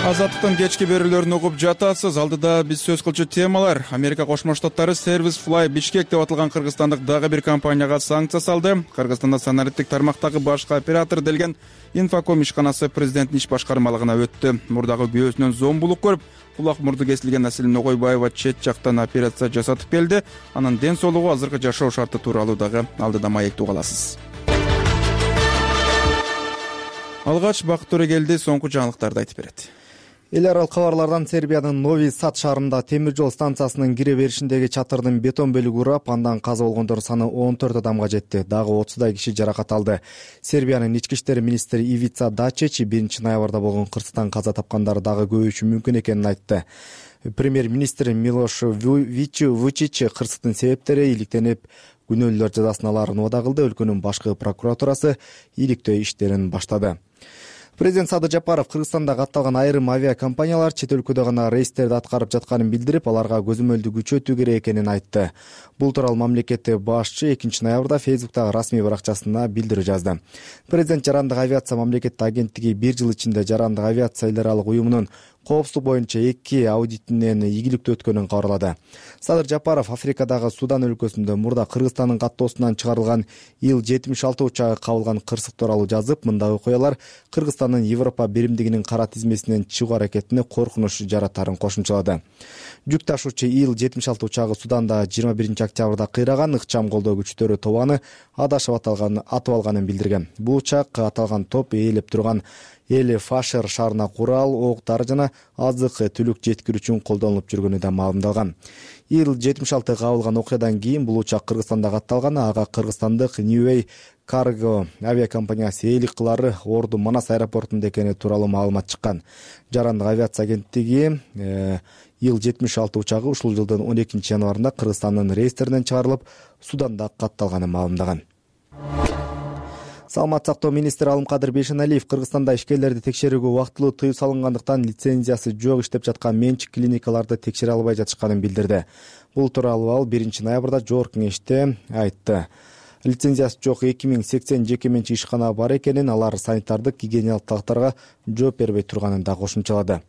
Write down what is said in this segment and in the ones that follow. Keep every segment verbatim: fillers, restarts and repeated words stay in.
Азаттыктын кечки берүүлөрүн угуп жатасыз. Алдыда биз сөз кылчу темалар. Америка Кошмо Штаттары Service Fly Бишкек деп аталган кыргызстандык дагы бир компанияга санкция салды. Кыргызстанда санариптик тармактагы башкы оператор делген Infocom ишканасы президенттин иш башкармалыгына өттү. Мурдагы күйөөсүнөн зомбулук көрүп, кулак мурду кесилген Аселим Огойбаева чет жактан операция жасатып келди. Анын ден соолугу, азыркы жашоо шарты тууралуу дагы алдыда маектеп аласыз. Алгач Бакыт Төрөгелди соңку жаңылыктарды айтып берет. Эл аралык кабарлардан Сербиянын Нови Сад шаарында темир жол станциясынын кире беришиндеги чатырдын бетон бөлүгү урап, андан каза болгондор саны он төрт адамга жетти. Дагы отуздай киши жаракат алды. Сербиянын ички иштер министри Ивица Дачич биринчи ноябрда болгон кырсыктан каза тапкандар дагы көбөйүшү мүмкүн экенин айтты. Премьер-министр Милош Вучич кырсыктын себептери иликтенип, күнөөлүүлөр жазасын алаарын убада кылды. Өлкөнүн башкы прокуратурасы иликтөө иштерин баштады. Президент Садыр Жапаров Кыргызстанда катталган айрым авиакомпаниялар чет өлкөдө гана рейстерди аткарып жатканын билдирип, аларга көзөмөлдү күчөтүү керек экенин айтты. Бул тууралуу мамлекеттик башчы экинчи ноябрда Фейсбуктагы расмий баракчасына билдирүү жазды. Президент Жарандык авиация мамлекеттик агенттиги бир жыл ичинде Жарандык авиация эл аралык уюмунун коопсуздук боюнча эки аудитинен ийгиликтүү өткөнүн кабарлады. Садыр Жапаров Африкадагы Судан өлкөсүндө мурда Кыргызстандын каттоосунан чыгарылган Ил жетимиш алты учагы кабылган кырсык тууралуу жазып, мындай окуялар Кыргызстандын Европа биримдигинин кара тизмесинен чыгуу аракетине коркунуч жаратарын кошумчалады. Жүк ташуучу Ил жетимиш алты учагы Суданда жыйырма биринчи октябрда кыйраган, ыкчам колдоо күчтөрү тобаны адашып аталган атып алганын билдирген. Бул учак аталган топ ээлеп турган Эле Фашер шаарына курал, ок-дары жана азык түлүк жеткирүү үчүн колдонулуп жүргөнү да маалымдалган. Ил жетимиш алты кабылган окуядан кийин бул учак Кыргызстанда катталган, ага кыргызстандык Neway Cargo авиакомпаниясы ээлик кылары Орду Манас аэропортунда экени тууралуу маалымат чыккан. Жарандык авиация агенттиги Ил жетимиш алты учагы ушул жылдын он экинчи январында Кыргызстандын рейстеринен чыгарылып, Суданда катталганын маалымдаган. Саламат сактоо министри Алымкадыр Бейшеналиев Кыргызстанда ишкерлерди текшерүүгө убактылуу тыюу салынгандыктан лицензиясы жок иштеп жаткан менчик клиникаларды текшере албай жатышканын билдирди. Бул тууралуу ал биринчи ноябрда жогорку кеңеште айтты. Лицензиясы жок эки миң сексен жеке менчик ишкана бар экенин, алар санитардык гигиеналык талаптарга жооп бербей турганын да кошумчалады.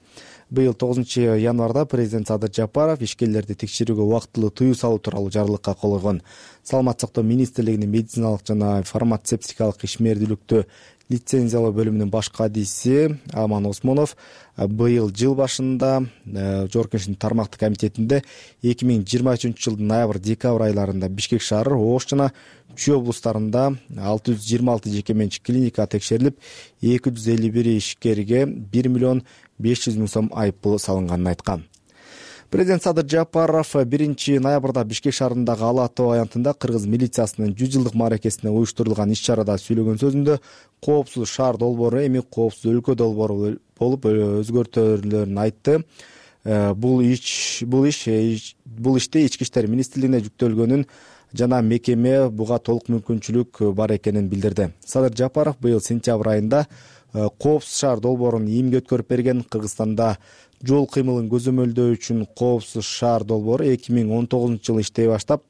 Быйыл тогузунчу январда президент Садыр Жапаров ишкерлерди текшерүүгө убактылуу тыюу салуу тууралуу жарлыкка кол койгон. Саламат сактоо министрлигинин медициналык жана фармацевтикалык ишмердүүлүктү лицензиялоо бөлүмүнүн баш кадиси Аман Осмонов быйыл жыл башында жогорку кеңештин тармактык комитетинде эки миң жыйырма үчүнчү жылдын ноябрь-декабрь айларында Бишкек шаары, Ош жана Чүй облустарында алты жүз жыйырма алты жеке менчик клиника текшерилип, эки жүз элүү бир ишкерге бир миллион беш жүз миң сом айыппул салынганын айткан. Президент Садыр Жапаров биринчи ноябрда Бишкек шаарындагы Ала ато аянтында кыргыз милициясынын жүз жылдык мааракесине уюштурулган иш-чарада сүйлөгөн сөзүндө коопсуз шаар долбоору эми коопсуз өлкө долбоору болуп өзгөртүлөрүн айтты. Бул иш бул иш бул иште ички иштер министрлигине жүктөлгөнүн жана мекеме буга толук мүмкүнчүлүк бар экенин билдирди. Садыр Жапаров быйыл сентябрь айында коопсуз шаар долбоорун ийимге өткөрүп берген. Кыргызстанда жол кыймылын көзөмөлдөө үчүн коопсуз шаар долбоору эки миң он тогузунчу жылы иштей баштап,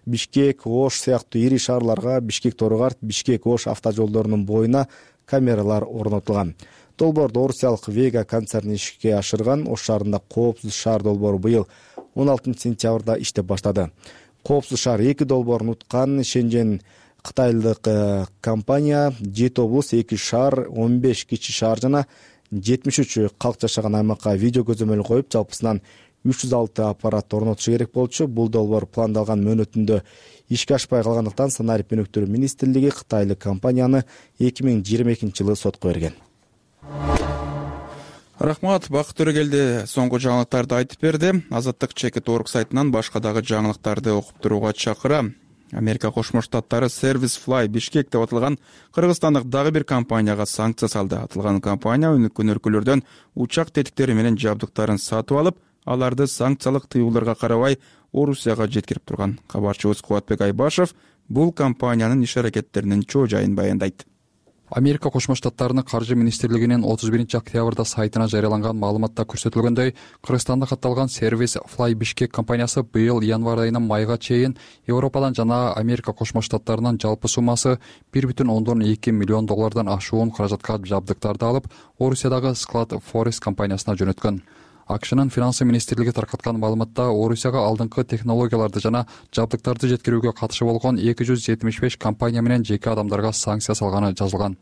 Бишкек, Ош сыяктуу ири шаарларга, Бишкек-Торгар, Бишкек-Ош автожолдорунун боюна камералар орнотулган. Долбоорду орусиялык Вега концерни ишке ашырган. Ош шаарында коопсуз шаар долбоору быйыл он алтынчы сентябрда иштеп баштады. Коопсуз шаар эки долбоорун уткан. Шенжен кытайлык компания жети облус, эки шаар, он беш кичи шаар жана жетимиш үч калк жашаган аймакка видео көзөмөл коюп, жалпысынан үч жүз алты аппарат орнотушу керек болчу. Бул долбоор пландалган мөөнөтүндө ишке ашпай калгандыктан Санарип өнүктүрүү министрлиги кытайлык компанияны эки миң жыйырма экинчи жылы сотко берген. Рахмат, Бакыт Төрөгелди соңку жаңылыктарды айтып берди. Азаттык чекит орг сайтынан башка дагы жаңылыктарды окуп турууга чакырам. Америка Кошмо Штаттары Service Fly Бишкек деп аталган кыргызстандык дагы бир компанияга санкция салды. Аталган компания өнүккөн өлкөлөрдөн учак тетиктери менен жабдыктарын сатып алып, аларды санкциялык тыюуларга карабай Орусияга жеткирип турган. Кабарчыбыз Кубатбек Айбашев бул компаниянын иш аракеттеринин чоо жайын баяндайт. Америка Кошмо Штаттарынын каржы министрлигинин отуз биринчи октябрда сайтына жарыяланган маалыматта көрсөтүлгөндөй, Кыргызстанда катталган сервис Fly Bishkek компаниясы быйыл январь айынан майга чейин Европадан жана Америка Кошмо Штаттарынан жалпы суммасы бир бүтүн ондон эки миллион доллардан ашуун каражатка жабдыктарды алып, Орусиядагы Склад Forest компаниясына жөнөткөн. АКШнын финансы министрлиги таркаткан маалыматта Орусияга алдыңкы технологияларды жана жабдыктарды жеткирүүгө катышы болгон эки жүз жетимиш беш компания менен жеке адамдарга санкция салганы жазылган.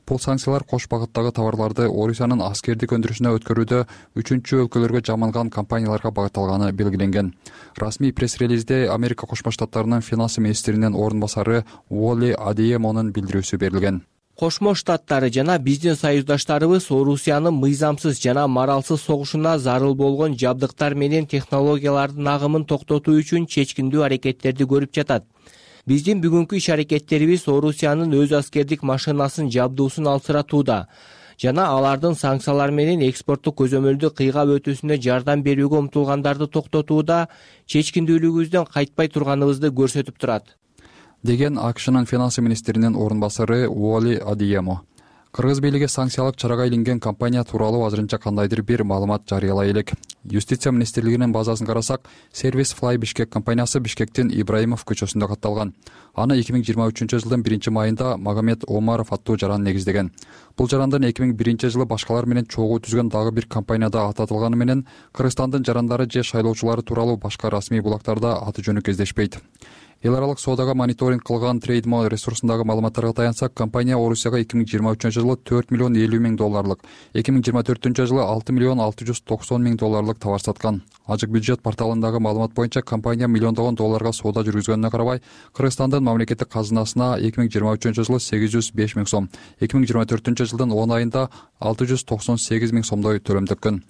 Бул санкциялар кош багыттагы товарларды Орусиянын аскердик өндүрүшүнө өткөрүүдө үчүнчү өлкөлөргө жаманган компанияларга багытталганы белгиленген. Расмий пресс-релизде Америка Кошмо Штаттарынын финансы министринин орун басары Уолли Адиемонун билдирүүсү берилген. Кошмо Штаттары жана биздин союздаштарыбыз Орусиянын мыйзамсыз жана моралсыз согушуна зарыл болгон жабдыктар менен технологиялардын агымын токтотуу үчүн чечкиндүү аракеттерди көрүп жатат. Биздин бүгүнкү иш аракеттерибиз Орусиянын өз аскердик машинасын жабдуусун алсыратууда жана алардын санкциялар менен экспорттук көзөмөлдү кыйгап өтүүсүнө жардам берүүгө умтулгандарды токтотууда чечкиндүүлүгүбүздөн кайтпай турганыбызды көрсөтүп турат, деген АКШнын финансы министринин орун басары Уолли Адиемо. Кыргыз бийлиги санкциялык чарага илинген компания тууралуу азырынча кандайдыр бир маалымат жарыялай элек. Юстиция министрлигинин базасын карасак, сервис Fly Bishkek компаниясы Бишкектин Ибраимов көчөсүндө катталган. Аны эки миң жыйырма үчүнчү жылдын биринчи майында Магомед Омаров аттуу жаран негиздеген. Бул жарандын эки миң биринчи жылы башкалар менен чогуу түзгөн дагы бир компанияда ататылганы менен Кыргызстандын жарандары же шайлоочулары тууралуу башка расмий булактарда аты жөнү кездешпейт. Эл аралык соодага мониторинг кылган Трейдмо ресурсундагы маалыматтарга таянсак, компания Орусияга эки миң жыйырма үчүнчү жылы төрт миллион элүү миң долларлык, эки миң жыйырма төртүнчү жылы алты миллион алты жүз токсон миң долларлык товар саткан. Ажык бюджет порталындагы маалымат боюнча компания миллиондогон долларга соода жүргүзгөнүнө карабай, Кыргызстандын мамлекеттик казынасына эки миң жыйырма үчүнчү жылы сегиз жүз беш миң сом, эки миң жыйырма төртүнчү жылдын он айында алты жүз токсон сегиз миң сомдой төлөм төккөн.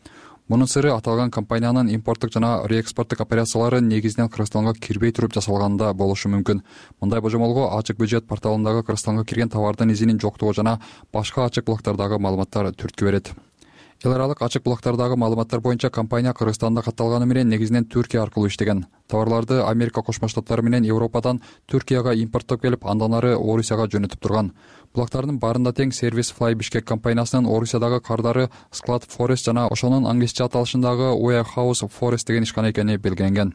Мунун сыры аталган компаниянын импорттук жана реэкспорттук операциялары негизинен Кыргызстанга кирбей туруп жасалганда болушу мүмкүн. Мындай божомолго ачык бюджет порталындагы Кыргызстанга кирген товардын изинин жоктугу жана башка ачык булактардагы маалыматтар түрткү берет. Эл аралык ачык булактардагы маалыматтар боюнча компания Кыргызстанда катталганы менен негизинен Түркия аркылуу иштеген. Товарларды Америка Кошмо Штаттары менен Европадан Түркияга импорттоп келип, андан ары Орусияга жөнөтүп турган. Булактардын баарында тең сервис Fly Bishkek компаниясынын Орусиядагы кардары Склад Forest жана ошонун англисче аталышындагы Warehouse Forest деген ишкана экени белгиленген.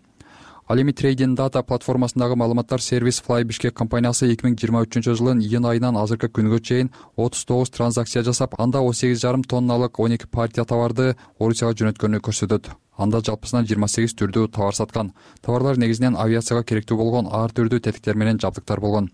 Ал эми Trading Data платформасындагы маалыматтар сервис Fly Bishkek компаниясы эки миң жыйырма үчүнчү жылдын июнь айынан азыркы күнгө чейин отуз тогуз транзакция жасап, анда он сегиз жарым тонналык он эки партия товарды Орусияга жөнөткөнү көрсөтөт. Анда жалпысынан жыйырма сегиз түрдүү товар саткан. Товарлар негизинен авиацияга керектүү болгон ар түрдүү тетиктер менен жабдыктар болгон.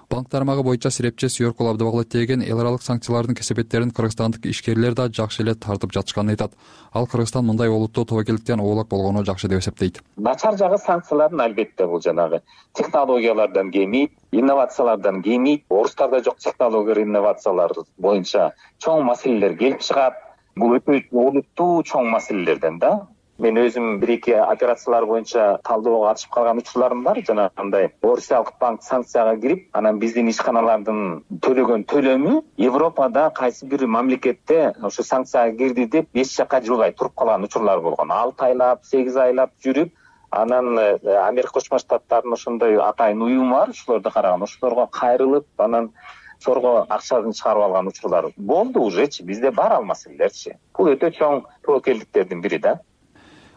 Банк тармагы боюнча сирепчи Сүйөркул Абдыбаглы теген эл аралык санкциялардын кесепеттерин кыргызстандык ишкерлер да жакшы эле тартып жатышканын айтат. Ал Кыргызстан мындай олуттуу тобокелдиктен оолак болгону жакшы деп эсептейт. Начар жагы санкциялардын албетте бул жанагы технологиялардан кемейт, инновациялардан кемейт. Орустарда жок технология инновациялар боюнча чоң маселелер келип чыгат. Бул өтө олуттуу чоң маселелерден да. Мен өзүм бир-эки операциялар боюнча талдоого катышып калган учурларым бар. Жанагындай Орусиялык банк санкцияга кирип, анан биздин ишканалардын төлөгөн төлөмү Европада кайсы бир мамлекетте ошо санкцияга кирди деп эч жакка жылбай туруп калган учурлар болгон. алты айлап, сегиз айлап жүрүп, анан Америка Кошмо Штаттарынын ошондой атайын уюму бар, ошолорду караган, ошолорго кайрылып, анан сорго акчасын чыгарып алган учурлар болду ужечи. Бизде бар ал маселелерчи. Бул өтө чоң тобокелдиктердин бири да.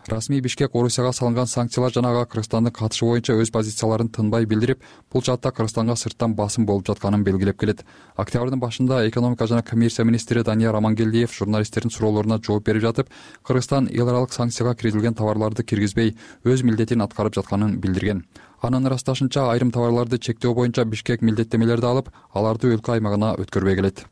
Расмий Бишкек Орусияга салынган санкциялар жана ага Кыргызстандын катышы боюнча өз позицияларын тынбай билдирип, бул жаатта Кыргызстанга сырттан басым болуп жатканын белгилеп келет. Октябрдын башында экономика жана коммерция министри Данияр Амангелдиев журналисттердин суроолоруна жооп берип жатып, Кыргызстан эл аралык санкцияга киргизилген товарларды киргизбей, өз милдетин аткарып жатканын билдирген. Анын ырасташынча, айрым товарларды чектөө боюнча Бишкек милдеттемелерди алып, аларды өлкө аймагына өткөрбөй келет.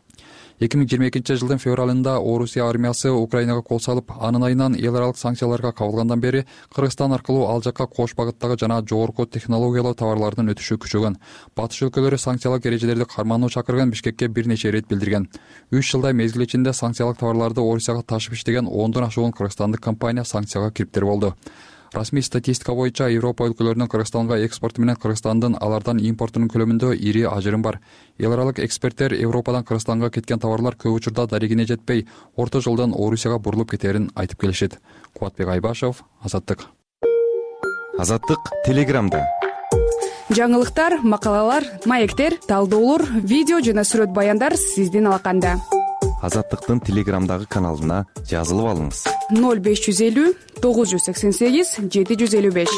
эки миң жыйырма экинчи жылдын февралында Орусия армиясы Украинага кол салып, анын айынан эл аралык санкцияларга кабылгандан бери Кыргызстан аркылуу ал жакка кош багыттагы жана жогорку технологиялуу товарлардын өтүшү күчөгөн. Батыш өлкөлөрү санкциялык эрежелерди кармануу чакырган Бишкекке бир нече ирет билдирген. үч жылдай мезгил ичинде санкциялык товарларды Орусияга ташып иштеген ондон ашуун кыргызстандык компания санкцияга кириптер болду. Расмий статистика боюнча Европа өлкөлөрүнүн Кыргызстанга экспорту менен Кыргызстандын алардан импортунун көлөмүндө ири ажырым бар. Эл аралык эксперттер Европадан Кыргызстанга кеткен товарлар көп учурда дарегине жетпей, орто жолдон Орусияга бурулуп кетерин айтып келишет. Кубатбек Айбашев, Азаттык. Азаттык Телеграмда. жаңылыктар, макалалар, маектер, талдоолор, видео жана сүрөт баяндар сиздин алаканда. Азаттыктын Телеграмдагы каналына жазылып алыңыз. ноль беш жүз элүү тогуз жүз сексен сегиз жети жүз элүү беш.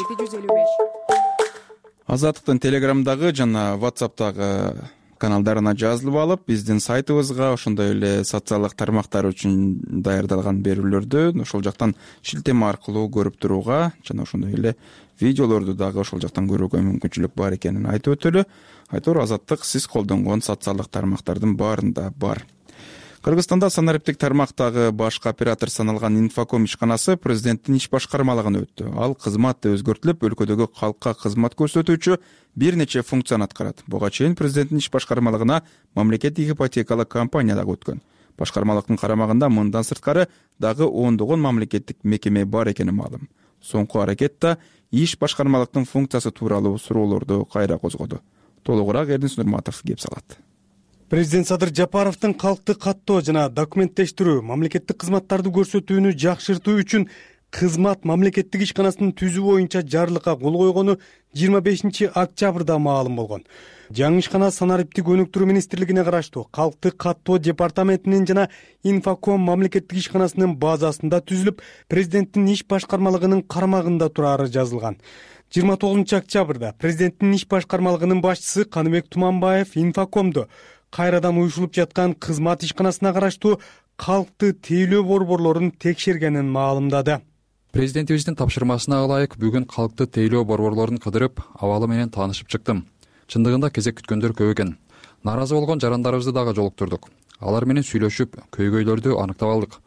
Азаттыктын Телеграмдагы жана WhatsApp'тагы каналдарына жазылып алып, биздин сайтыбызга, ошондой эле социалдык тармактар үчүн даярдалган берүүлөрдү ошол жактан шилтеме аркылуу көрүп турууга жана ошондой эле видеолорду дагы ошол жактан көрүүгө мүмкүнчүлүк бар экенин айтып өтөлү. Айтор Азаттык сиз колдонгон социалдык тармактардын баарында бар. Кыргызстанда санариптик тармактагы башкы оператор саналган Инфоком ишканасы президенттин иш башкармалыгына өттү. Ал кызмат өзгөртүлүп, өлкөдөгү калкка кызмат көрсөтүүчү бир нече функцияны аткарат. Буга чейин президенттин иш башкармалыгына мамлекеттик ипотекалык компания дагы өткөн. Башкармалыктын карамагында мындан сырткары дагы ондогон мамлекеттик мекеме бар экени маалым. Соңку аракетте иш башкармалыктын функциясы тууралуу суроолорду кайра козгоду. Толугураак Эрдин Нурматов кеп салат. Президент Садыр Жапаровдун калкты каттоо жана документтештирүү, мамлекеттик кызматтарды көрсөтүүнү жакшыртуу үчүн кызмат мамлекеттик ишканасынын түзүү боюнча жарлыкка кол койгону жыйырма бешинчи октябрда маалым болгон. Жаңы ишкана санариптик өнүктүрүү министрлигине караштуу калкты каттоо департаментинин жана Инфоком мамлекеттик ишканасынын базасында түзүлүп, президенттин иш башкармалыгынын карамагында турары жазылган. жыйырма тогузунчу октябрда президенттин иш башкармалыгынын башчысы Каныбек Туманбаев Инфокомду кайрадан уюшулуп жаткан кызмат ишканасына караштуу калкты тейлөө борборлорун текшергенин маалымдады. Президентибиздин тапшырмасына ылайык бүгүн калкты тейлөө борборлорун кыдырып, абалы менен таанышып чыктым. Чындыгында кезек күткөндөр көп экен. Нааразы болгон жарандарыбызды дагы жолуктурдук. Алар менен сүйлөшүп, көйгөйлөрдү аныктап алдык.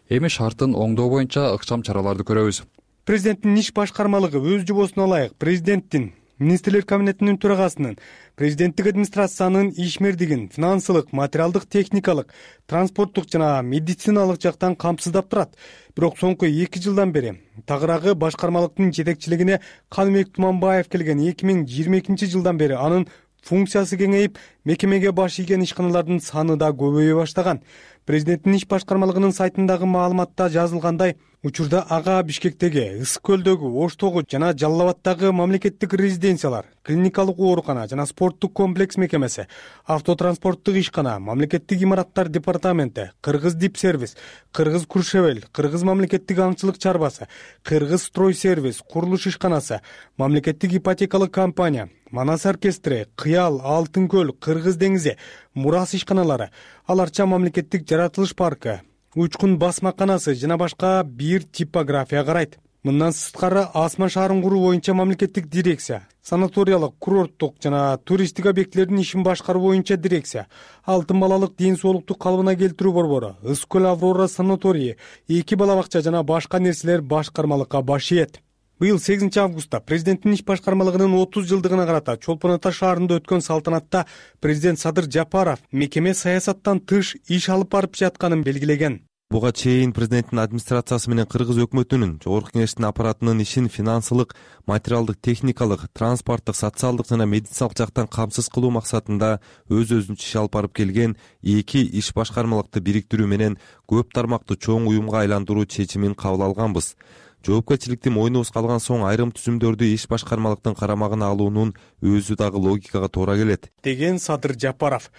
Эми шартын оңдоо боюнча ыкчам чараларды көрөбүз. Президенттин иш башкармалыгы өз жобосуна ылайык президенттин, министрлер кабинетинин төрагасынын, президенттик администрациянын ишмердигин финансылык, материалдык, техникалык, транспорттук жана медициналык жактан камсыздап турат. Бирок соңку эки жылдан бери тагыраагы башкармалыктын жетекчилигине Каныбек Туманбаев келген эки миң жыйырма экинчи жылдан бери анын функциясы кеңейип, мекемеге баш ийген ишканалардын саны да көбөйө баштаган. Президенттин иш башкармалыгынын сайтындагы маалыматта жазылгандай, учурда ага Бишкектеги, Ысык көлдөгү, Оштогу жана Жалал Абадтагы мамлекеттик резиденциялар, клиникалык оорукана жана спорттук комплекс мекемеси, автотранспорттук ишкана, мамлекеттик имараттар департаменти, Кыргыз Дипсервис, Кыргыз Куршевел, Кыргыз мамлекеттик аңчылык чарбасы, Кыргыз Стройсервис, курулуш ишканасы, мамлекеттик ипотекалык компания, Манас оркестри, Кыял, Алтын көл, Кыргыз деңизи, Мурас ишканалары, аларча мамлекеттик жаратылыш паркы, Учкун басмаканасы жана башка бир типография карайт. Мындан сырткары Асма шаарын куруу боюнча мамлекеттик дирекция, санаториялык, курорттук жана туристтик объектилердин ишин башкаруу боюнча дирекция, Алтын балалык ден соолукту калыбына келтирүү борбору, Ысык көл Аврора санаторийи, эки бала бакча жана башка нерселер башкармалыкка баш ийет. Быйыл сегизинчи августта президенттин иш башкармалыгынын отуз жылдыгына карата Чолпон Ата шаарында өткөн салтанатта президент Садыр Жапаров мекеме саясаттан тыш иш алып барып жатканын белгилеген. Буга чейин президенттин администрациясы менен Кыргыз өкмөтүнүн, Жогорку Кеңештин аппаратынын ишин финансылык, материалдык, техникалык, транспорттук, социалдык жана медициналык жактан камсыз кылуу максатында өз-өзүнчө иш алып барып келген эки иш башкармалыкты бириктирүү менен көп тармактуу чоң уюмга айландыруу чечимин кабыл алганбыз. Жоопкерчиликти мойнубуз калган соң айрым түзүмдөрдү иш башкармалыктын карамагына алуунун өзү дагы логикага туура келет, деген Садыр Жапаров.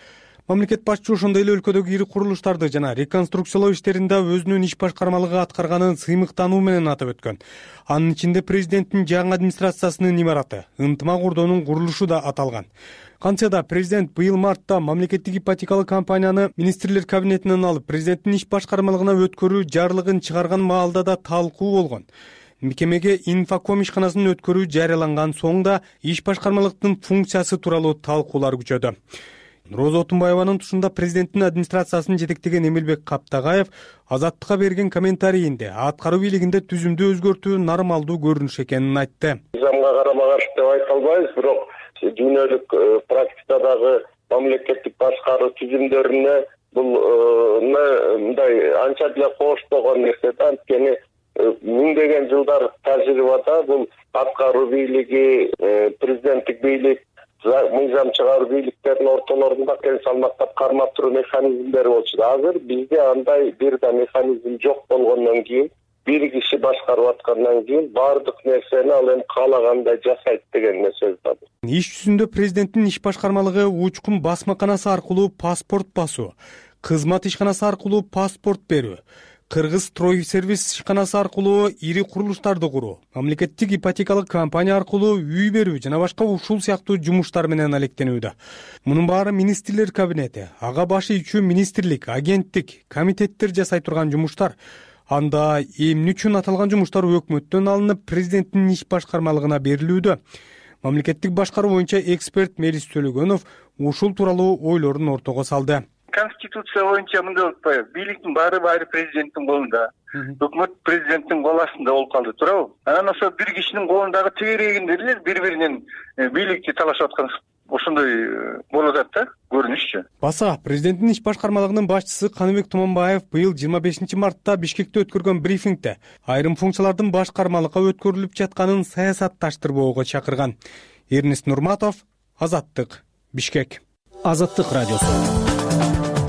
Мамлекет башчысы ошондой эле өлкөдөгү ири курулуштарды жана реконструкциялоо иштеринде өзүнүн иш башкармалыгы аткарганын сыймыктануу менен атап өткөн. Анын ичинде президенттин жаңы администрациясынын имараты, ынтымак ордонун курулушу да аталган. Кантсе да президент быйыл мартта мамлекеттик ипотекалык компанияны министрлер кабинетинен алып, президенттин иш башкармалыгына өткөрүү жарлыгын чыгарган маалда да талкуу болгон. Мекемеге Инфоком ишканасын өткөрүү жарыяланган соң да иш башкармалыктын функциясы тууралуу талкуулар күчөдү. Роза Отунбаеванын тушунда президенттин администрациясын жетектеген Эмилбек Каптагаев Азаттыкка берген комментарийинде аткаруу бийлигинде түзүмдү өзгөртүү нормалдуу көрүнүш экенин айтты. Мыйзамга карама каршы деп айта албайбыз, бирок дүйнөлүк практикадагы мамлекеттик башкаруу түзүмдөрүнө бул мындай анча деле коштогон нерсе да. Анткени миңдеген жылдар тажрыйбада бул аткаруу бийлиги, президенттик бийлик, мыйзам чыгаруу бийликтердин ортолорунда тең салмактап кармап туруу механизмдери болчу. Азыр бизде андай бир да механизм жок болгондон кийин бир киши башкарып аткандан кийин баардык нерсени ал эми каалагандай жасайт деген сөз бар. Иш жүзүндө президенттин иш башкармалыгы учкун басмаканасы аркылуу паспорт басуу, кызмат ишканасы аркылуу паспорт берүү, Кыргыз стройсервис ишканасы аркылуу ири курулуштарды куруу, мамлекеттик ипотекалык компания аркылуу үй берүү жана башка ушул сыяктуу жумуштар менен алектенүүдө. Мунун баары министрлер кабинети, ага башы ичүү министрлик, агенттик, комитеттер жасай турган жумуштар. Анда эмне үчүн аталган жумуштар өкмөттөн алынып президенттин иш башкармалыгына берилүүдө? Мамлекеттик башкаруу боюнча эксперт Мелис Төлөгөнов ушул тууралуу ойлорун ортого салды. Конституция боюнча мындай болуп атпайбы? Бийликтин баары баары президенттин колунда. Өкмөт президенттин кол астында болуп калды, туурабы? Анан ошо бир кишинин колундагы тегерегинде эле бири-биринен бийликти талашып аткан ошондой болуп атат да, көрүнүшчү. Баса президенттин иш башкармалыгынын башчысы Каныбек Туманбаев быйыл жыйырма бешинчи мартта Бишкекте өткөргөн брифингде айрым функциялардын башкармалыкка өткөрүлүп жатканын саясатташтырбоого чакырган. Эрнест Нурматов, Азаттык, Бишкек. Азаттык радиосу.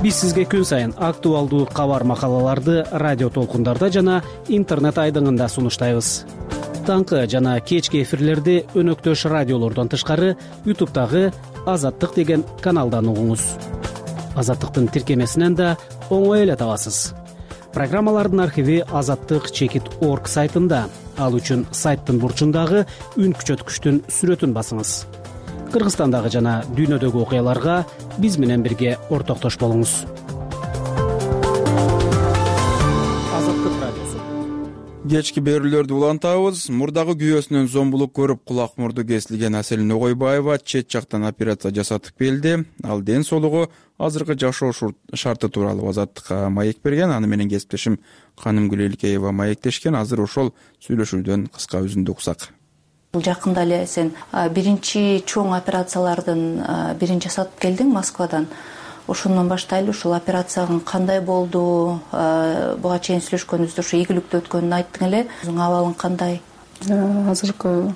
Биз сизге күн сайын актуалдуу кабар макалаларды радио толкундарда жана интернет айдыңында сунуштайбыз. Таңкы жана кечки эфирлерди өнөктөш радиолордон тышкары ютубтагы Азаттык деген каналдан угуңуз. Азаттыктын тиркемесинен да оңой эле табасыз. Программалардын архиви азаттык чекит точка орг сайтында. Ал үчүн сайттын бурчундагы үн күчөткүчтүн сүрөтүн басыңыз. Кыргызстандагы жана дүйнөдөгү окуяларга биз менен бирге ортоктош болуңуз. Азаттык радиосу. Кечки берүүлөрдү улантабыз. Мурдагы күйөөсүнөн зомбулук көрүп кулак мурду кесилген Аселин Огойбаева чет жактан операция жасатып келди. Ал ден соолугу азыркы жашоо шарты тууралуу Азаттыкка маек берген. Аны менен кесиптешим Канымгүл Элкеева маектешкен. Азыр ошол сүйлөшүүдөн кыска үзүндү уксак. Жакында эле сен биринчи чоң операциялардын бирин жасатып келдиң Москвадан. Ошондон баштайлы, ушул операциянын кандай болду, буга чейин сүйлөшкөнүбүздө ушу ийгиликтүү өткөнүн айттың эле. Өзүң абалың кандай? Азыркы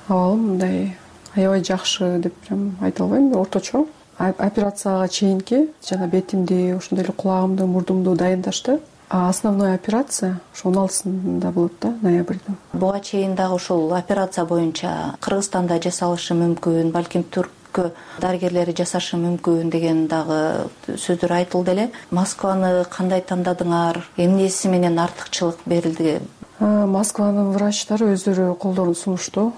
абалым мындай аябай жакшы деп прям айта албайм, орточо. Операцияга чейинки жана бетимди, ошондой эле кулагымды, мурдумду дайындашты. А основной операция ошо он алтысында болот да, ноябрдын. Буга чейин дагы ушул операция боюнча Кыргызстанда жасалышы мүмкүн, балким Түрккө дарыгерлери жасашы мүмкүн деген дагы сөздөр айтылды эле. Москваны кандай тандадыңар? Эмнеси менен артыкчылык берилди? Москванын врачтары өздөрү колдорун сунушту.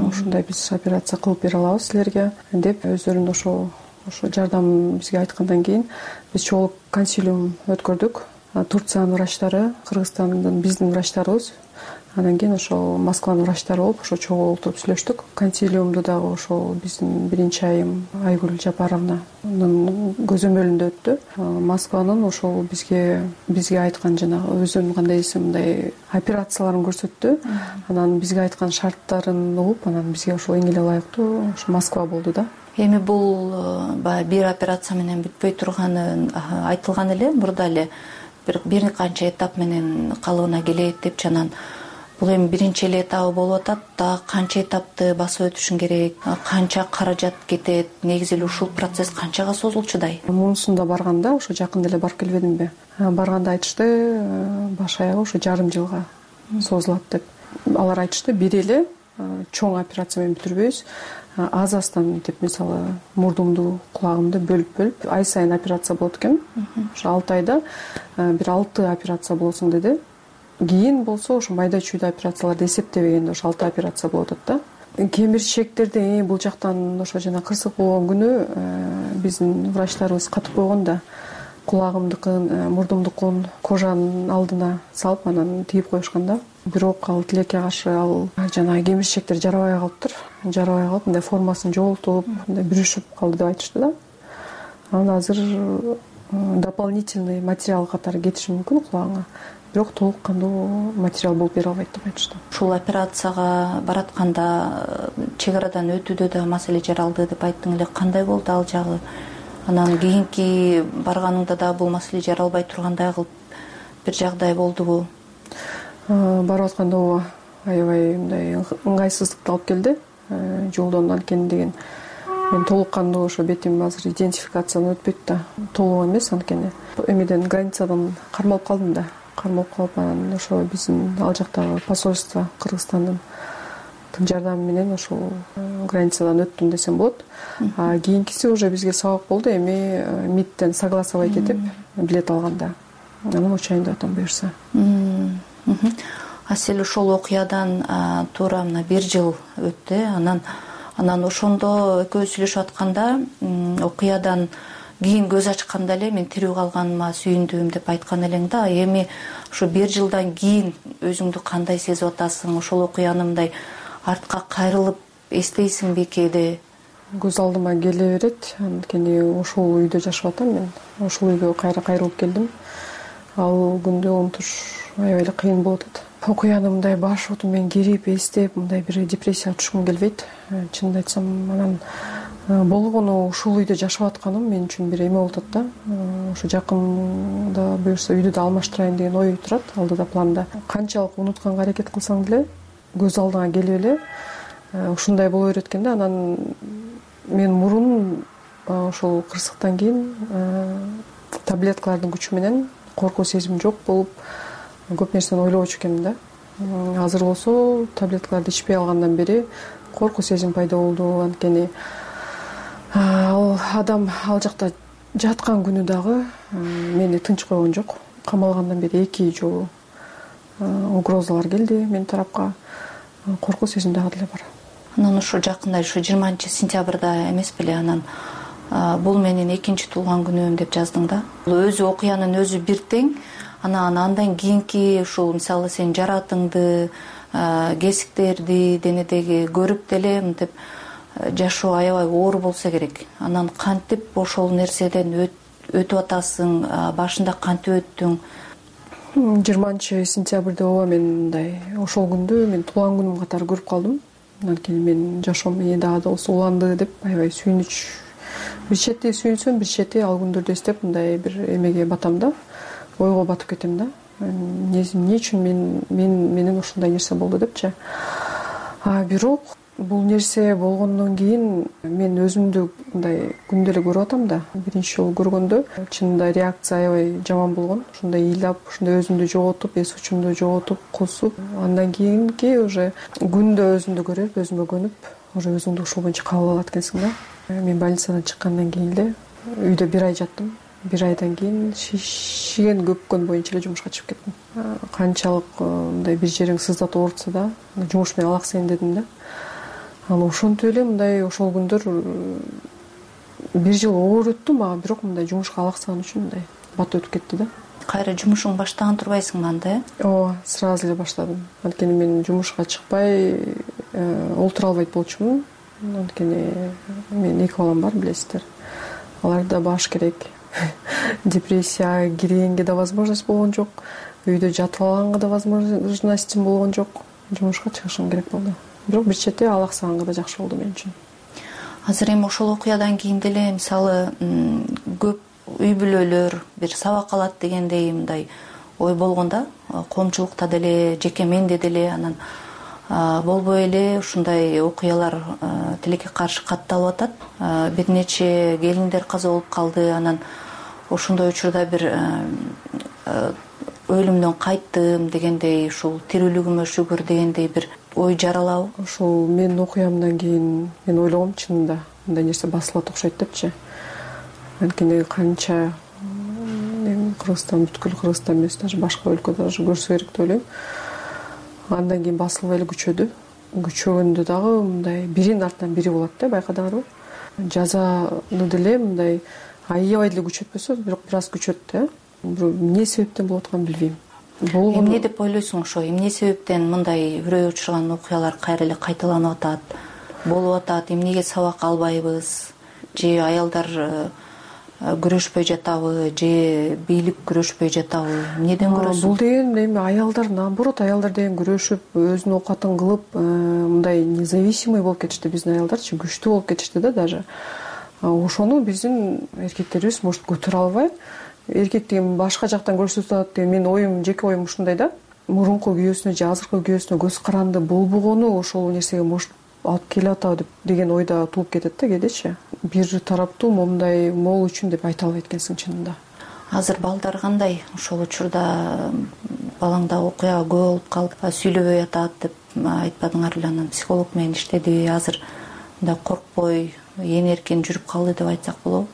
Ушундай биз операция кылып бере алабыз силерге деп өздөрүнүн ошо ошо жардамын бизге айткандан кийин биз чогуу консилиум өткөрдүк. Турциянын врачтары, Кыргызстандын биздин врачтарыбыз, андан кийин ошо Москванын врачтары болуп, ошо чогуу отуруп сүйлөштүк. Консилиумду дагы ошо биздин биринчи айым Айгүл Жапаровнанын көзөмөлүндө өттү. Москванын ошол бизге бизге айткан жанагы өзүнүн кандай десем мындай операцияларын көрсөттү. Анан бизге айткан шарттарын угуп, анан бизге ошол эң эле ылайыктуу ошо Москва болду да. Эми бул баягы бир операция менен бүтпөй турганы айтылган эле, мурда эле бир канча этап менен калыбына келет деп жанан. Бул эми биринчи эле этабы болуп атат. Дагы канча этапты басып өтүшүң керек, канча каражат кетет, негизи эле ушул процесс канчага созулчудай? Мунусунда барганда, ошо жакында эле барып келбедимби? Барганда айтышты, баш аягы ошо жарым жылга созулат деп. Алар айтышты, бир эле чоң операция менен бүтүрбөйбүз. Аз астан деп, мисалы, мурдумду, кулагымды бөлүп-бөлүп ай сайын операция болот экен. Ошо алты айда бир алты операция болсун деди. Кийин болсо ошо майда чүйдө операцияларды эсептебегенде ошо алты операция болот атат да. Кемирчектерди бул жактан ошо жана кырсык болгон күнү биздин врачтарыбыз катып койгон да. Кулагымдыкын, мурдумдукун кожанын алдына салып анан тийип коюшкан да. Бирок ал тилекке каршы ал жана кемирчектер жарабай калыптыр. Жарабай калып, мындай формасын жоготуп, мындай бүрүшүп калды деп айтышты да. Анан азыр дополнительный материал катары кетиши мүмкүн кулагыңа. Бирок толук кандуу материал болуп бере албайт деп айтышты. Ушул операцияга баратканда чек арадан өтүүдө да маселе жаралды деп айттың эле. Кандай болду ал жагы? Анан кийинки барганыңда да бул маселе жаралбай тургандай кылып бир жагдай болдубу? Барып атканда ооба аябай мындай ыңгайсыздыкты алып келди. Жолдон анткени деген мен толук кандуу ошо бетим азыр идентификациядан өтпөйт да. Толук эмес анткени. Эмеден границадан кармалып калдым да. кармалып калып, анан ошо биздин ал жактагы посольство Кыргызстандын тың жардамы менен ошол границадан өттүм десем болот. А кийинкиси уже бизге сабак болду. Эми МИДтен согласовать этип билет алганда, анан учайын деп атам буюрса. Асель ошол окуядан туура мына бир жыл өттү. Анан анан ошондо экөөбүз сүйлөшүп атканда окуядан кийин көз ачканда эле мен тирүү калганыма сүйүндүм деп айткан элең да. Эми ошо бир жылдан кийин өзүңдү кандай сезип атасың? Ошол окуяны мындай артка кайрылып эстейсиңби кээде? Көз алдыма келе берет. Анткени ошол үйдө жашап атам мен. Ошол үйгө кайра кайрылып келдим. Ал күндү унутуш аябай эле кыйын болуп атат. Окуяны мындай баш отум менен кирип эстеп, мындай бир депрессияга түшкүм келбейт. Чынын айтсам, анан болгону ушул үйдө жашап атканым мен үчүн бир эме болуп атат да. Ошо жакында буюрса үйдү да алмаштырайын деген ой турат алдыда, планда. Канчалык унутканга аракет кылсаң деле көз алдыңа келип эле ушундай боло берет экен да. Анан мен мурун ошол кырсыктан кийин таблеткалардын күчү менен коркуу сезим жок болуп көп нерсени ойлобочу экенмин да. Азыр болсо таблеткаларды ичпей алгандан бери коркуу сезим пайда болду. Анткени ал адам ал жакта жаткан күнү дагы мени тынч койгон жок. Камалгандан бери эки жолу угрозалар келди менин тарапка. Коркуу сезим дагы деле бар. Анан ошо жакында ошо жыйырманчы сентябрда эмес беле, анан бул менин экинчи туулган күнүм деп жаздың да. Өзү окуянын өзү бир тең. Анан андан кийинки ушул мисалы сен жаратыңды, кесиктерди денедеги көрүп деле мынтип жашоо аябай оор болсо керек. Анан кантип ошол нерседен өтүп атасың? Башында кантип өттүң? жыйырманчы сентябрда ооба мен мындай ошол күндү мен туулган күнүм катары көрүп калдым. Анткени мен жашоом эне дагы да болсо уланды деп аябай сүйүнүч. Бир чети сүйүнсөм, бир чети ал күндөрдү эстеп мындай бир эмеге батам да. Ойго батып кетем да. Эмне үчүн мен мен менен ушундай нерсе болду депчи. А бирок бул нерсе болгондон кийин мен өзүмдү мындай күндө эле көрүп атам да. Биринчи жолу көргөндө чынында реакция аябай жаман болгон. Ушундай ыйлап, ушундай өзүмдү жоготуп, эс учумду жоготуп, кусуп, андан кийинки уже күндө өзүмдү көрүп, өзүмө көнүп, уже өзүңдү ушул боюнча кабыл алат экенсиң да. Мен больницадан чыккандан кийин эле үйдө бир ай жаттым. Бир айдан кийин шишиген көпкөн боюнча эле жумушка чыгып кеттим. Канчалык мындай бир жериң сыздатып оорутса да, жумуш менен алаксайын дедим да. Анан ошентип эле мындай ошол күндөр бир жыл оор өттү мага, бирок мындай жумушка алаксаган үчүн мындай бат өтүп кетти да. Кайра жумушуң баштаган турбайсыңбы анда? Ооба, сразу эле баштадым. Анткени мен жумушка чыкпай олтура албайт болчумун. Анткени менин эки балам бар, билесиздер. Аларды да баш керек. Депрессия киргенге да возможность болгон жок. Үйдө жатып алганга да возможностьм болгон жок. Жумушка чыгышым керек болду. Бирок бир чети алаксаганга да жакшы болду мен үчүн. Азыр эми ошол окуядан кийин деле мисалы көп үй бүлөлөр бир сабак алат дегендей мындай ой болгон да. Коомчулукта деле, жеке менде деле анан болбой эле ушундай окуялар тилекке каршы катталып атат. Бир нече келиндер каза болуп калды. Анан ошондой учурда бир өлүмдөн кайттым дегендей, ушул тирүүлүгүмө шүгүр дегендей бир ой жаралабы? Ошол менин окуямдан кийин мен ойлогом чынында мындай нерсе басылат окшойт депчи. Анткени канча Кыргызстан, бүткүл Кыргызстан эмес, даже башка өлкө даже көрсө керек деп ойлойм. Андан кийин басылбай эле күчөдү. Күчөгөндө дагы мындай биринин артынан бири болот да, байкадыңарбы? Жазаны деле мындай аябай деле күчөтпөсө, бирок бир аз күчөт да. Эмне себептен болуп атканын билбейм. Эмне деп ойлойсуң ошо? Эмне себептен мындай үрөй учурган окуялар кайра эле кайталанып атат, болуп атат? Эмнеге сабак албайбыз? Же аялдар күрөшпөй жатабы, же бийлик күрөшпөй жатабы? Эмнеден көрөсүң? Бул деген эми аялдар, наоборот, аялдар деген күрөшүп, өзүнүн оокатын кылып, мындай независимый болуп кетишти. Биздин аялдарчы күчтүү болуп кетишти да даже. Ошону биздин эркектерибиз может көтөрө албай, эркек деген башка жактан көрсөтүп деген менин оюм, жеке оюм ушундай да. Мурунку күйөөсүнө же азыркы күйөөсүнө көз каранды болбогону ошол нерсеге может алып келип атабы деген ойда туулуп кетет да кээдечи. Бир тараптуу момундай могул үчүн деп айта албайт экенсиң чынында. азыр балдар кандай? Ошол учурда балаңда окуя көп болуп калып сүйлөбөй атат деп айтпадыңар беле? Анан психолог менен иштедиби? Азыр мындай коркпой ээн эркин жүрүп калды деп айтсак болобу?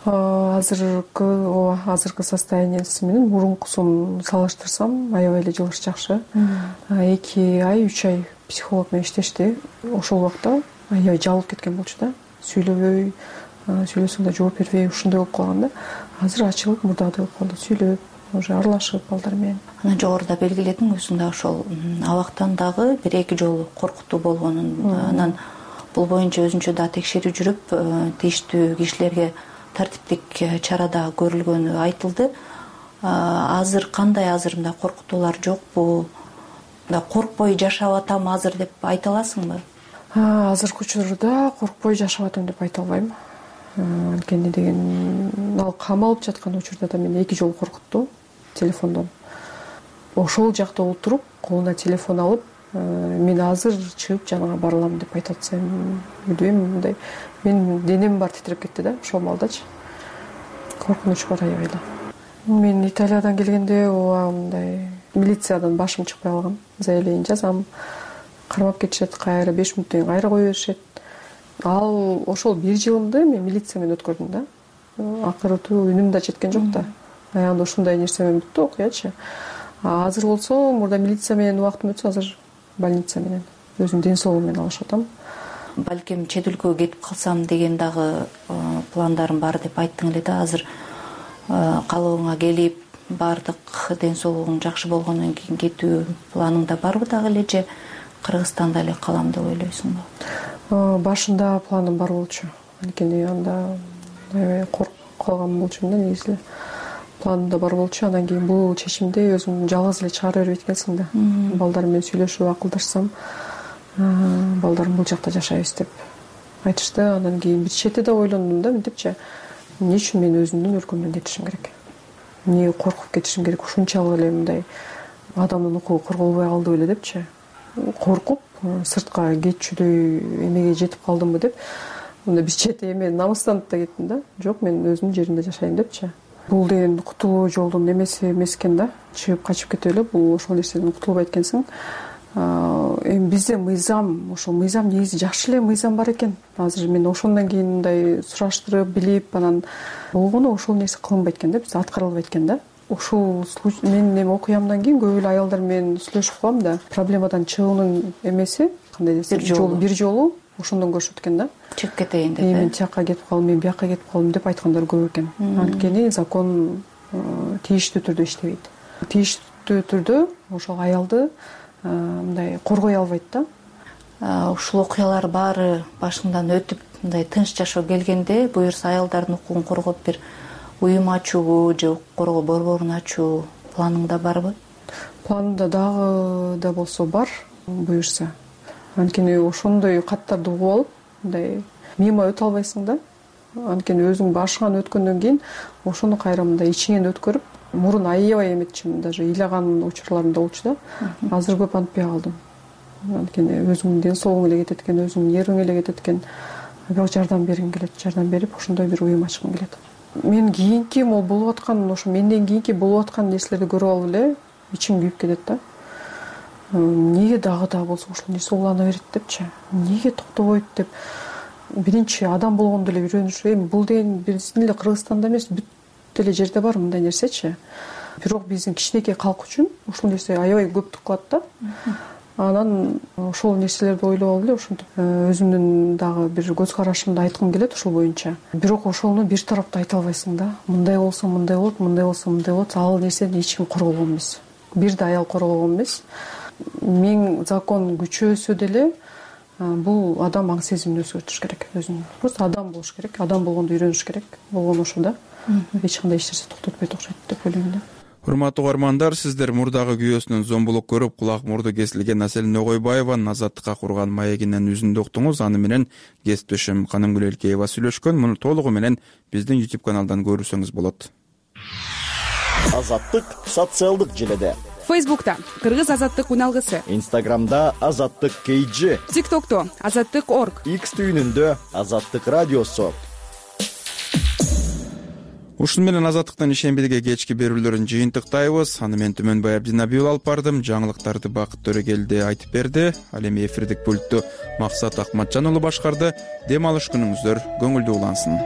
Азыркы ооба азыркы состояниясы менен мурункусун салыштырсам аябай эле жылыш жакшы. эки ай үч ай психолог менен иштешти. Ошол убакта аябай жабылып кеткен болчу да. Сүйлөбөй, сүйлөсөң да жооп бербей ушундай болуп калган да. Азыр ачылып мурдагыдай болуп калды. Сүйлөп, уже аралашып балдар менен. Анан жогоруда белгиледиң өзүң да ошол абактан дагы бир эки жолу коркутуу болгонун. Анан бул боюнча өзүнчө да текшерүү жүрүп, тийиштүү кишилерге тартиптик чарада көрүлгөнү айтылды. Азыр кандай? Азыр мындай коркутуулар жокпу? Мындай коркпой жашап атам азыр деп айта аласыңбы? Азыркы учурда коркпой жашап атам деп айта албайм. Анткени деген ал камалып жаткан учурда да мени эки жолу коркутту телефондон. Ошол жакта отуруп, колуна телефон алып, мен азыр чыгып жанага бара алам деп айтып атсам, билбейм, мындай менин денем баары титиреп кетти да ошол маалдачы. Коркунуч бар аябай эле. Мен Италиядан келгенде ооба мындай милициядан башым чыкпай калган. Заявление жазам, кармап кетишет, кайра беш мүнөттөн кийин кайра кое беришет. Ал ошол бир жылымды мен милиция менен өткөрдүм да. Акырытуу үнүм да жеткен жок да. Аягында ушундай нерсе менен бүттү окуячы. Азыр болсо мурда милиция менен убактым өтсө, азыр больница менен өзүмдүн ден соолугум менен алышып атам. Балким чет өлкөгө кетип калсам деген дагы пландарым бар деп айттың эле да. Азыр калыбыңа келип, баардык ден соолугуң жакшы болгондон кийин кетүү планыңда барбы дагы эле же Кыргызстанда эле калам деп ойлойсуңбу? Башында планым бар болчу. Анткени анда аябай коркуп калган болчумун да негизи. Планымда бар болчу. Андан кийин бул чечимди өзүм жалгыз эле чыгара бербейт экенсиң да. Балдар менен сүйлөшүп акылдашсам, балдарым бул жакта жашайбыз деп айтышты. Андан кийин бир чети да ойлондум да, мынтипчи, эмне үчүн мен өзүмдүн өлкөмдөн кетишим керек? Эмне коркуп кетишим керек? Ушунчалык эле мындай адамдын укугу корголбой калды беле депчи. Коркуп сыртка кетчүдөй эмеге жетип калдымбы деп, мындай бир чети эме намыстанып да кеттим да. Жок, мен өзүмдүн жеримде жашайм депчи. Бул деген кутулуу жолдун эмеси эмес экен да. Чыгып качып кетип эле бул ошол нерседен кутулбайт экенсиң. Эми бизде мыйзам, ошол мыйзам негизи жакшы эле мыйзам бар экен. Азыр мен ошондон кийин мындай сураштырып, билип, анан болгону ошол нерсе кылынбайт экен да, бизде аткарылбайт экен да. Ушул менин эми окуямдан кийин көп эле аялдар менен сүйлөшүп калам да. Проблемадан чыгуунун эмеси кандай десем, бир жолу бир жолу ошондон көрүшөт экен да. Чыгып кетейин деп. Мен тияка кетип калдым, мен бияка кетип калдым деп айткандар көп экен. Анткени закон тийиштүү түрдө иштебейт. Тийиштүү түрдө ошол аялды мындай коргой албайт да. Ушул окуялар баары башыңдан өтүп, мындай тынч жашоо келгенде, буюрса аялдардын укугун коргоп бир уюм ачуу же укук коргоо борборун ачуу планыңда барбы? Планымда дагы да болсо бар, буюрса. Анткени ошондой каттарды угуп алып, мындай мимо өтө албайсың да. Анткени өзүң башыңан өткөндөн кийин ошону кайра мындай ичиңен өткөрүп, мурун аябай эметчимин, даже ыйлаган учурларым да болчу да. Азыр көп антпай калдым. Анткени өзүңдүн ден соолугуң эле кетет экен, өзүңдүн ериң эле кетет экен. Бирок жардам бергим келет, жардам берип, ошондой бир уюм ачкым келет. Мен кийинки могу болуп аткан, ошо менден кийинки болуп аткан нерселерди көрүп алып эле ичим күйүп кетет да. Эмнеге дагы да болсо ушул нерсе улана берет депчи? Эмнеге токтобойт деп. Биринчи адам болгондо эле үйрөнүш. Эми бул деген биздин эле Кыргызстанда эмес, бүт эле жерде бар мындай нерсечи. Бирок биздин кичинекей калк үчүн ушул нерсе аябай көптүк кылат да. Анан ошол нерселерди ойлоп алып эле ушинтип өзүмдүн дагы бир көз карашымды айткым келет ушул боюнча. Бирок ошону бир тараптуу айта албайсың да. Мындай болсо мындай болот, мындай болсо мындай болот. Ал нерсени эч ким корголгон эмес. Бир да аял корголгон эмес. Миң закон күчөөсө деле бул адам аң сезимин өзгөртүш керек өзүн. Просто адам болуш керек, адам болгонду үйрөнүш керек. Болгон ошо да. Эч кандай эч нерсе токтотпойт окшойт деп ойлойм да. Урматтуу угармандар, сиздер мурдагы күйөөсүнөн зомбулук көрүп, кулак мурду кесилген Аселин Огойбаеванын азаттыкка курган маегинен үзүндү уктуңуз. Аны менен кесиптешим Канымгүл Элкеева сүйлөшкөн. Муну толугу менен биздин YouTube каналдан көрүрсөңүз болот. Азаттык социалдык желеде. Фейсбукта Кыргыз азаттык уналгысы, Инстаграмда Азаттык кей джи, ТикТокто Азаттык орг, X түйүнүндө Азаттык радиосу. ушун менен азаттыктын ишембидиги кечки берүүлөрүн жыйынтыктайбыз. Аны мен Түмөнбай Абдинабиев алып бардым. Жаңылыктарды Бакыт Төрөгелди айтып берди. Ал эми эфирдик пультту Максат Акматжан уулу башкарды. Дем алыш күнүңүздөр көңүлдүү улансын.